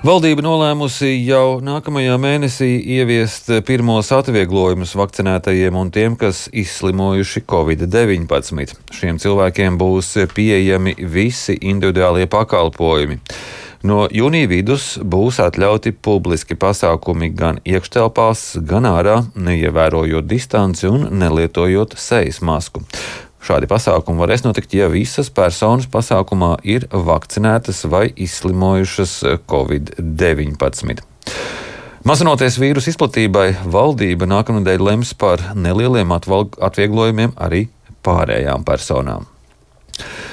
Valdība nolēmusi jau nākamajā mēnesī ieviest pirmos atvieglojumus vakcinētajiem un tiem, kas izslimojuši Covid-19. Šiem cilvēkiem būs pieejami visi individuālie pakalpojumi. No jūnija vidus būs atļauti publiski pasākumi gan iekštelpās, gan ārā, neievērojot distanci un nelietojot sejas masku. Šādi pasākumi varēs notikt, ja visas personas pasākumā ir vakcinētas vai izslimojušas Covid-19. Mazinoties vīrusu izplatībai, valdība nākamnedēļ lems par nelieliem atvieglojumiem arī pārējām personām.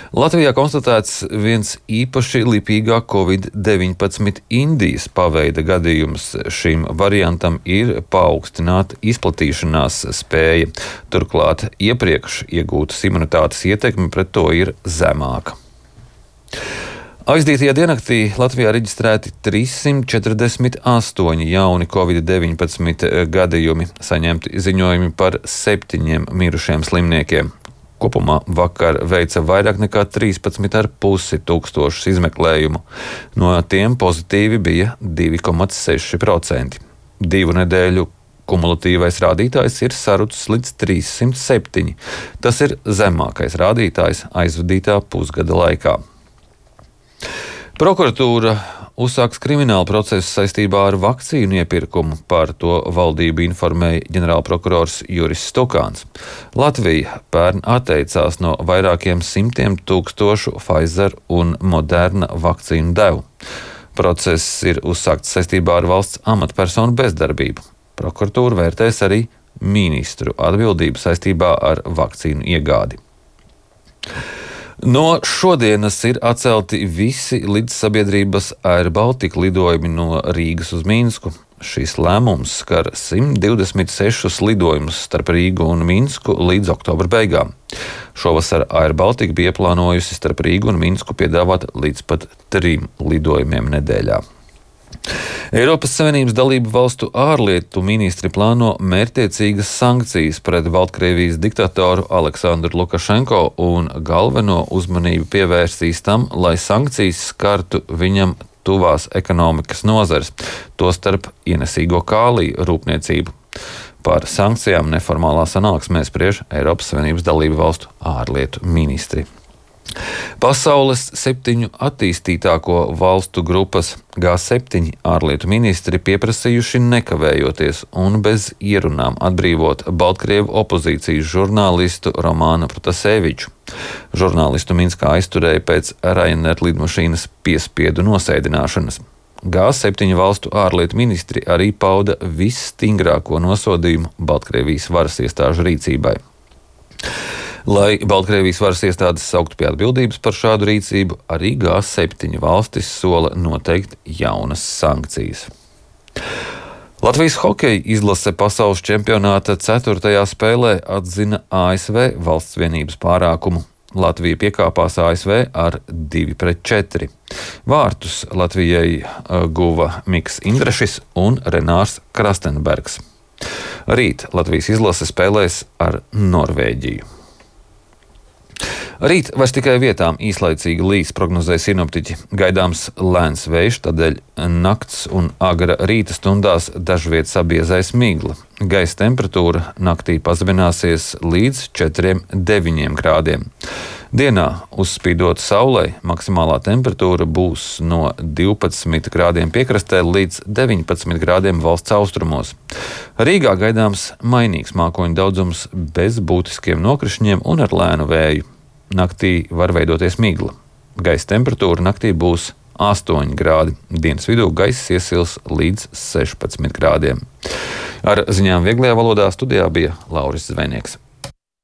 Latvijā konstatēts viens īpaši lipīgā Covid-19 Indijas paveida gadījums. Šim variantam ir paaugstināta izplatīšanās spēja. Turklāt iepriekš iegūtas imunitātes ietekme pret to ir zemāka. Aizdītajā diennaktī Latvijā reģistrēti 348 jauni Covid-19 gadījumi, saņemti ziņojumi par 7 mirušiem slimniekiem. Kopumā vakar veica vairāk nekā 13,5 tūkstošus izmeklējumu. No tiem pozitīvi bija 2,6%. 2 nedēļu kumulatīvais rādītājs ir sarucis līdz 307. Tas ir zemākais rādītājs aizvadītā pusgada laikā. Prokuratūra uzsāks kriminālu procesu saistībā ar vakcīnu iepirkumu. Par to valdību informēja ģenerālprokurors Juris Stukāns. Latvija pērn atteicās no vairākiem 100 000 Pfizer un Moderna vakcīnu devu. Process ir uzsākts saistībā ar valsts amatpersonu bezdarbību. Prokuratūra vērtēs arī ministru atbildību saistībā ar vakcīnu iegādi. No šodienas ir atcelti visi lidsabiedrības Air Baltica lidojumi no Rīgas uz Minsku. Šis lēmums skar 126 lidojumus starp Rīgu un Minsku līdz oktobra beigām. Šovasar Air Baltica bija plānojusi starp Rīgu un Minsku piedāvāt līdz pat 3 lidojumiem nedēļā. Eiropas Savienības dalību valstu ārlietu ministri plāno mērķtiecīgas sankcijas pret Baltkrievijas diktatoru Aleksandru Lukašenko un galveno uzmanību pievērsīs tam, lai sankcijas skartu viņam tuvās ekonomikas nozares, tostarp ienesīgo kāliju rūpniecību. Par sankcijām neformālā sanāksmē spriež Eiropas Savienības dalību valstu ārlietu ministri. Pasaules 7 attīstītāko valstu grupas G7 ārlietu ministri pieprasījuši nekavējoties un bez ierunām atbrīvot Baltkrievu opozīcijas žurnālistu Romānu Protaseviču. Žurnālistu Minskā aizturēja pēc Ryanair lidmašīnas piespiedu nosēdināšanas. G7 valstu ārlietu ministri arī pauda visstingrāko nosodījumu Baltkrievijas varas iestāžu rīcībai. Lai Baltkrievijas varas iestādes sauktu pie atbildības par šādu rīcību, arī G7 valstis sola noteikt jaunas sankcijas. Latvijas hokeja izlase pasaules čempionāta 4. spēlē atzina ASV valsts vienības pārākumu. Latvija piekāpās ASV ar 2-4. Vārtus Latvijai guva Miks Indrašis un Renārs Krastenbergs. Rīt Latvijas izlase spēlēs ar Norvēģiju. Rīt vairs tikai vietām īslaicīgi līs, prognozē sinoptiķi. Gaidāms lēns vējš, tādēļ nakts un agra rīta stundās dažviet sabiezēs migla. Gaisa temperatūra naktī pazemināsies līdz 4-9 grādiem. Dienā uzspīdot saulei, maksimālā temperatūra būs no 12 grādiem piekrastē līdz 19 grādiem valsts austrumos. Rīgā gaidāms mainīgs mākoņu daudzums bez būtiskiem nokrišņiem un ar lēnu vēju. Naktī var veidoties migla. Gaisa temperatūra naktī būs 8 grādi. Dienas vidū gaiss iesils līdz 16 grādiem. Ar ziņām vieglajā valodā studijā bija Lauris Zvejnieks.